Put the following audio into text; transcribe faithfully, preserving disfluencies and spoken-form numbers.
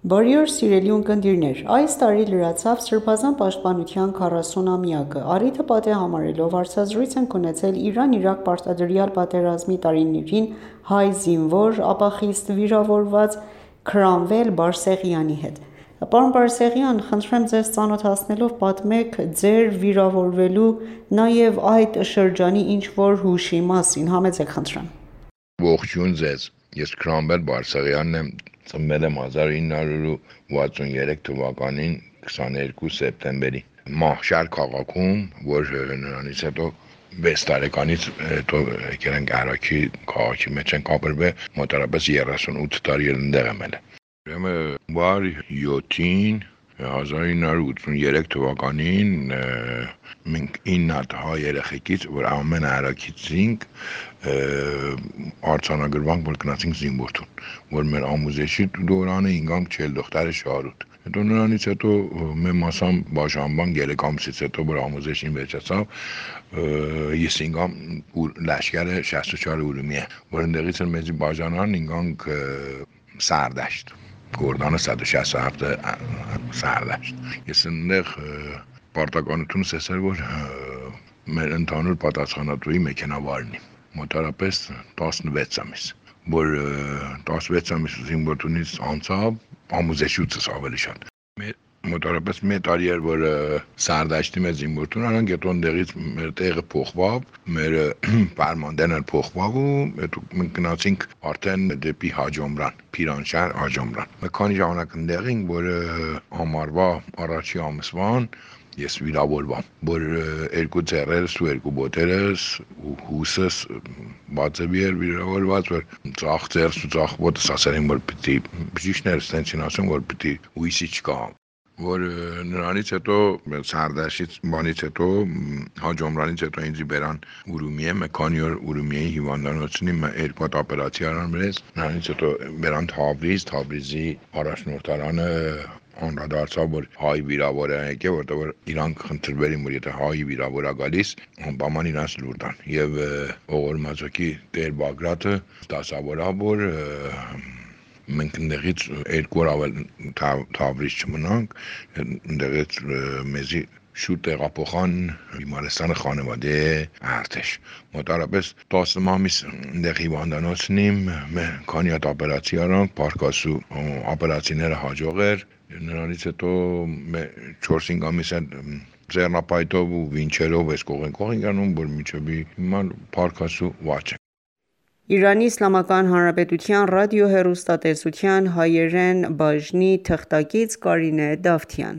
Բարի օր սիրելի ունկնդիրներ, այս տարի լրացավ Սրբազան պաշտպանության քառասունամյակը, առիթը պատեհ համարելով հարցազրույց ենք ունեցել Իրան-Իրաք պարտադրյալ պատերազմի տարիներին հայ զինվոր, ապա խիստ վիրավորված Քրամվել Բարսեղյանի հետ: Պարոն Բարսեղյան, խնդրեմ ձեզ ծանոթացնելով պատմեք ձեր վիրավորվելու, նաև այդ շրջանի ինչ-որ հուշի մասին, համեցեք խնդրեմ: Ողջույն ձեզ, ես Քրամվել Բարսեղյանն եմ, ծնվել եմ հազար ինը հարյուր ութսուներեք թվականին քսաներկու սեպտեմբերի Մահշար քաղաքում, որ նրանից հետո վեց տարեկանից հետո եկել ենք Առաքի քաղաքի մեջ ենք ապրվել, մոտավորապես երեսունութ տարի էլ ընդեղ եմ ելել: Ուրեմն վար յոթին հազար ինը հարյուր ութսուներեք թվականին մենք ինը հատ հայ երեխեքից, որ ամենը Առաքից էինք, արձանագրվանք, որ գնացինք զինվորթուն, որ մեր ամուսեշի դորանը ինգանք Չելդոխտարը Շահրութ: Հետո նրանից հետո մեր մասամբ բաժանվանք երեք ամսից հետո, որ ամուսեշին վերջացավ, ես ինգամ լաշկերը շասթ ու չորը ուրումիա, որ ընդեղից էլ մեզի բաժանան, ինգանք Սարդաշտ, Գորդանը սատ ու շասթ ու հապտ Սարդաշտ: Ես ընդեղ պարտականությունս էս էր, որ մեր ընդհանուր պատասխանատուի մեքենավարն եմ, մոտավորապես տասնվեց ամիս, որ տասնվեց ամիս զինվորությունից անցավ, ամուսեշուցս ավելի շատ, մոտավորապես մի տարի էր, որ Սարդաշտի մեջ զինվորություն արանք, հետո ընդեղից մեր տեղը փոխվավ, մեր պարմանդեն էլ փոխվավ ու հետո մենք գնացինք արդեն դեպի Հաջոմրան, Փիրանշահր Հաջոմրան: Մի քանի ժամանակ ընդեղ էինք, որ ամառվա առաջի ամսվան ես վիրավորվա, որ երկու ձեռերս ու երկու ոտերս ու հուսս բացեւի էր վիրավորված, որ ձախ ձեռս ու ձախ ոտս ասել են, որ պիտի բժիշկները ստենցին ասում, որ պիտի հույսի չկա, որ նրանից հետո Սարդաշտից բանից հետո Հաջոմրանից հետո ինձ բերան Ուրումիա, մի քանի օր Ուրումիայի հիվանդանոցին երկու հատ օպերացիա արան մեզ, նրանից հետո բերան Թավրիզ, Թավրիզի առաջնորդարանը անդրադարձավ, որ հայ վիրավոր է եկել, որտեղ իրանք խնդրվել են, որ եթե հայ վիրավոր է գալիս, անպայման իրանց լուր տան, եւ Օղորմածոկի Տեր Բագրատը դասավորավ, որ մենք ընդեղից երկու օր ավել Թավրիզ չմնանք, ընդեղից մեզի շուտ տեղափոխան Բիմարեստանը Խանվադե Արտեշ, մոտավորապես տասը ամիս ընդեղ հիվանդանոցն եմ, քանի հատ օպերացիա արանք, փառք Աստծո օպերացիաները հաջող էր, նրանից հետո չորս-հինգ ամիս էլ ձեռնապայթով ու վինչերով էս կողին ենք անում, որ մինչև հիմա փառք Աստծո ված ենք: Իրանի Իսլամական Հանրապետության ռադիոհեռուստատեսության հայերեն բաժնի թղթակից Կարինե Դավթյան: